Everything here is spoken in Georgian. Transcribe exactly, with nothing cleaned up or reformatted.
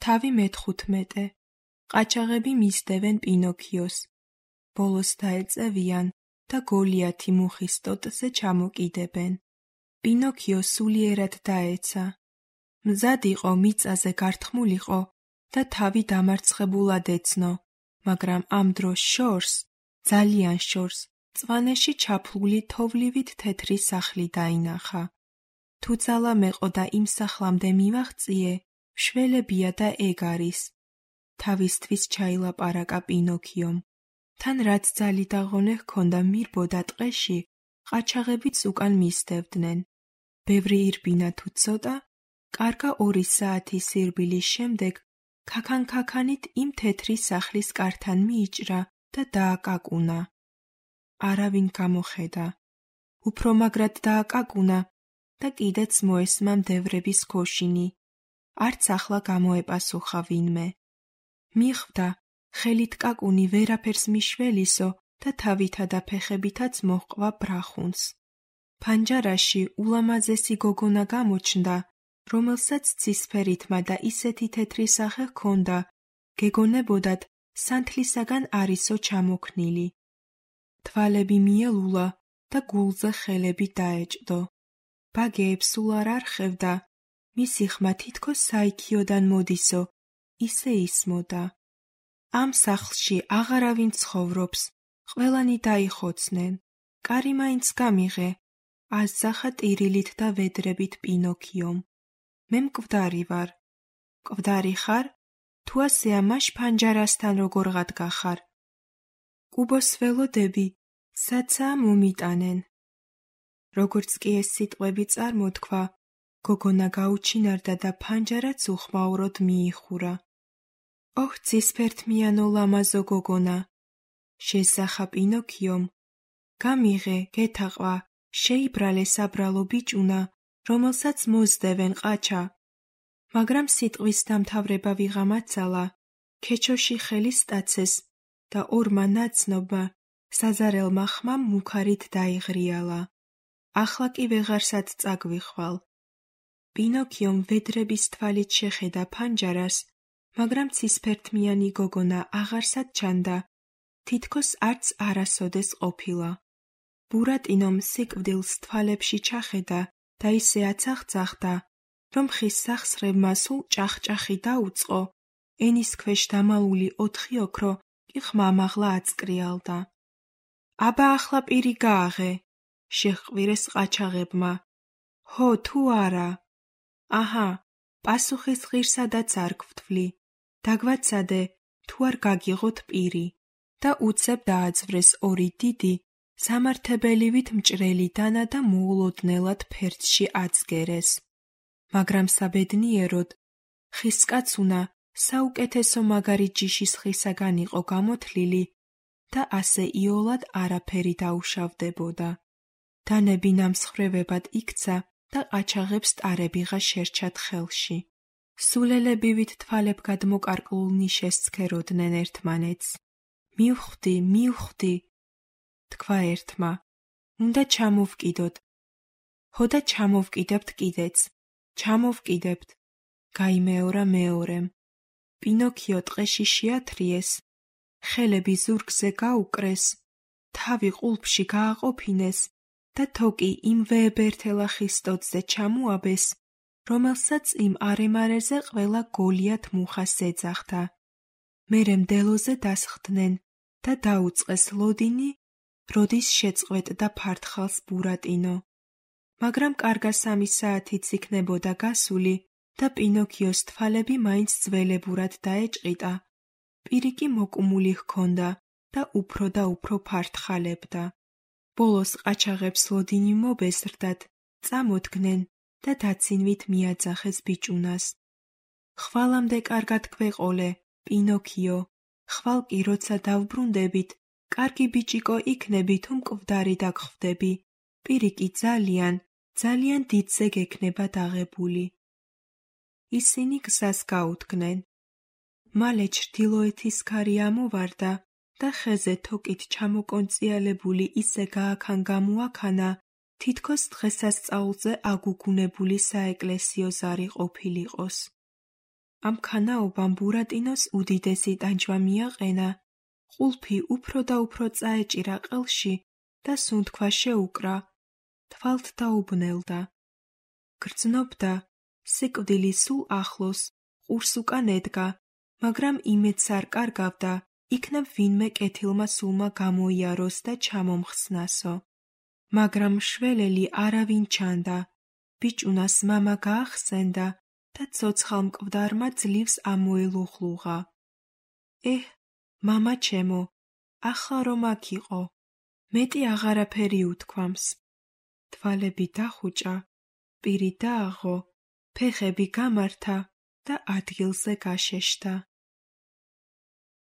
თავი მეთხუთმეტე. ყაჩაღები მისდევენ პინოქიოს. ბოლოს დაეწევიან და გოლიათი მუხის ტოტზე ჩამოკიდებენ. პინოქიო სულიერად დაეცა. მზად იყო მიწაზე გართმულიყო და თავი დამარცხებულად ეცნო, მაგრამ ამ დროს შორს, ძალიან შორს, წვანეში ჩაფლული თოვლივით თეთრი სახლი დაინახა. თუ ძალა მეყო და იმ სახლამდე მივაღწიე, მშველებია და ეგ არის. თავისთვის ჩაილაპარაკა პინოქიომ. თან რაც ძალი და ღონე ჰქონდა მირბოდა ტყეში, ყაჩაღებიც უკან მისდევდნენ. ბევრი ირბინა თუ ცოტა, კარგა ორი საათის სირბილის შემდეგ ქაქან-ქაქანით იმ თეთრი სახლის კართან მიიჭრა და დააკაკუნა. არავინ გამოხედა. უფრო მაგრად დააკაკუნა და კიდეც მოესმა მდევრების ქოშინი. არც ახლა გამოეპასუხა ვინმე. მიხვდა, ხელით კაკუნი ვერაფერს მიშველისო და თავითა და ფეხებითაც მოჰყვა ბრახუნს. ფანჯარაში ულამაზესი გოგონა გამოჩნდა, რომელსაც ცისფერითმა და ისეთი თეთრი სახე ჰქონდა, გეგონებოდათ სანთლისაგან არისო ჩამოქნილი. თვალები მიელულა და გულზე ხელები დაეჭდო. ბაგეებს სულ არ არხევდა, მისი ხმა თითქოს საიქიოდან მოდისო, ისე ისმოდა. ამ სახლში აღარავინ ცხოვრობს, ყველანი დაიხოცნენ. კარი მაინც გამიღე, ასძახა ტირილით და ვედრებით პინოქიომ. მე მკვდარი ვარ. მკვდარი ხარ? თუ ასეა მაშ ფანჯარასთან როგორღად გახარ? კუბოს ველოდები, საცაა მომიტანენ. როგორც კი ეს სიტყვები წარმოთქვა, გოგონა გაუჩინარდა და ფანჯარაც უხმაუროდ მიიხურა. ოჰ, ცისფერთმიანო ლამაზო გოგონა! შესახა პინოქიომ. გამიღე, გეთაყვა, შეიბრალე საბრალო ბიჭუნა, რომელსაც მოსდევენ ყაჩა. მაგრამ სიტყვის დამთავრება ვიღამ აცალა, ქეჩოში ხელი სტაცეს და ორმა ნაცნობმა საზარელმა ხმამ მუქარით დაიღრიალა. ახლა კი ვეღარსად წაგვიხვალ. პინოქიომ ვედრების თვალით შეხედა ფანჯარას, მაგრამ ცისფერთმიანი გოგონა აღარსად ჩანდა, თითქოს არც არასოდეს ყოფილა. ბურატინომ სიკვდილს თვალებში ჩახედა და ისე აცახცახდა, რომ ხის სახსრებმა სულ ჭახჭახი დაუწყო, ენის ქვეშ დამალული ოთხი ოქრო კი ხმამაღლა აწკრიალდა. აბა ახლა პირი გააღე, შეჰყვირეს ყაჩაღებმა. ჰო, თუ არა? აჰა, პასუხის ღირსადაც არ გვთვლი. დაგვაცადე, თუ არ გაგიღოთ პირი. და უცებ დააძვრეს ორი დიდი, სამართებელივით მჭრელი დანა და მოულოდნელად ფერდში აწგერეს. მაგრამ საბედნიეროდ, ხისკაცუნა საუკეთესო მაგარი ჯიშის ხისაგან იყო გამოთლილი და ასე იოლად არაფერი დაუშავდებოდა. დანები ნამსხვრევებად იქცა და ყაჩაღებს ტარებიღა შერჩათ ხელში. სულელებივით თვალებგად მოკარკლულ ნიშეს სქეროდნენ ერთმანეთს. მივხვდი, მივხვდი, თქვა ერთმა. უნდა ჩამოვკიდოთ. ჰო და ჩამოვკიდებთ კიდეც. ჩამოვკიდებთ. გაიმეორა მეორემ. პინოქიო ტყეში შეათრიეს, ხელები ზურგზე გაუკრეს, თავი ყულფში გააყოფინეს და თოკი იმ ვეებერთელა ხის ტოტზე ჩამუაბეს, რომელსაც იმ არემარეზე ყველა გოლიათ მუხას ეძახდა. მერე მდელოზე დასხდნენ და დაუწყეს ლოდინი, როდის შეწყვეტდა ფართხალს ბურატინო. მაგრამ კარგა სამი საათიც იქნებოდა გასული და პინოქიოს თვალები მაინც ძველებურად დაეჭყიტა. პირი კი მოკუმული ჰქონდა და უფრო და უფრო ფართხალებდა. ბოლოს ყაჩაღებს ლოდინი მობეზრდათ, წამოდგნენ და დაცინვით მიაძახეს ბიჭუნას. ხვალამდე კარგად გვეყოლე, პინოქიო, ხვალ კი როცა დავბრუნდებით, კარგი ბიჭიკო იქნები თუ მკვდარი დაგხვდები, პირი კი ძალიან, ძალიან დიდზე გექნება დაღებული. ისინი გზას გაუდგნენ. მალე ჩრდილოეთის ქარი ამოვარდა და ხეზე თოკით ჩამოკონწიალებული ისე გააქან გამოაქანა, თითქოს დღესასწაულზე აგუგუნებული საეკლესიო ზარი ყოფილიყოს. ამ ქანაობამ ბურატინოს უდიდესი ტანჯვა მიაყენა, ყულფი უფრო და უფრო წაეჭირა ყელში და სუნთქვა შეუკრა, თვალთ დაუბნელდა. გრძნობდა, სიკვდილი სულ ახლოს, ყურს უკან ედგა, მაგრამ იმედს არ კარგავდა, იქნებ ვინმე კეთილმა სულმა გამოიაროს და ჩამომხსნასო. მაგრამ მშველელი არავინ ჩანდა, ბიჭუნას მამა გაახსენდა და ცოცხალ მკვდარმა ძლივს ამოელუხლუღა. ეჰ, მამა ჩემო, ახლა რომ აქ იყო, მეტი აღარაფერი უთქვამს. თვალები დახუჭა, პირი დააღო, ფეხები გამართა და ადგილზე გაშეშთა.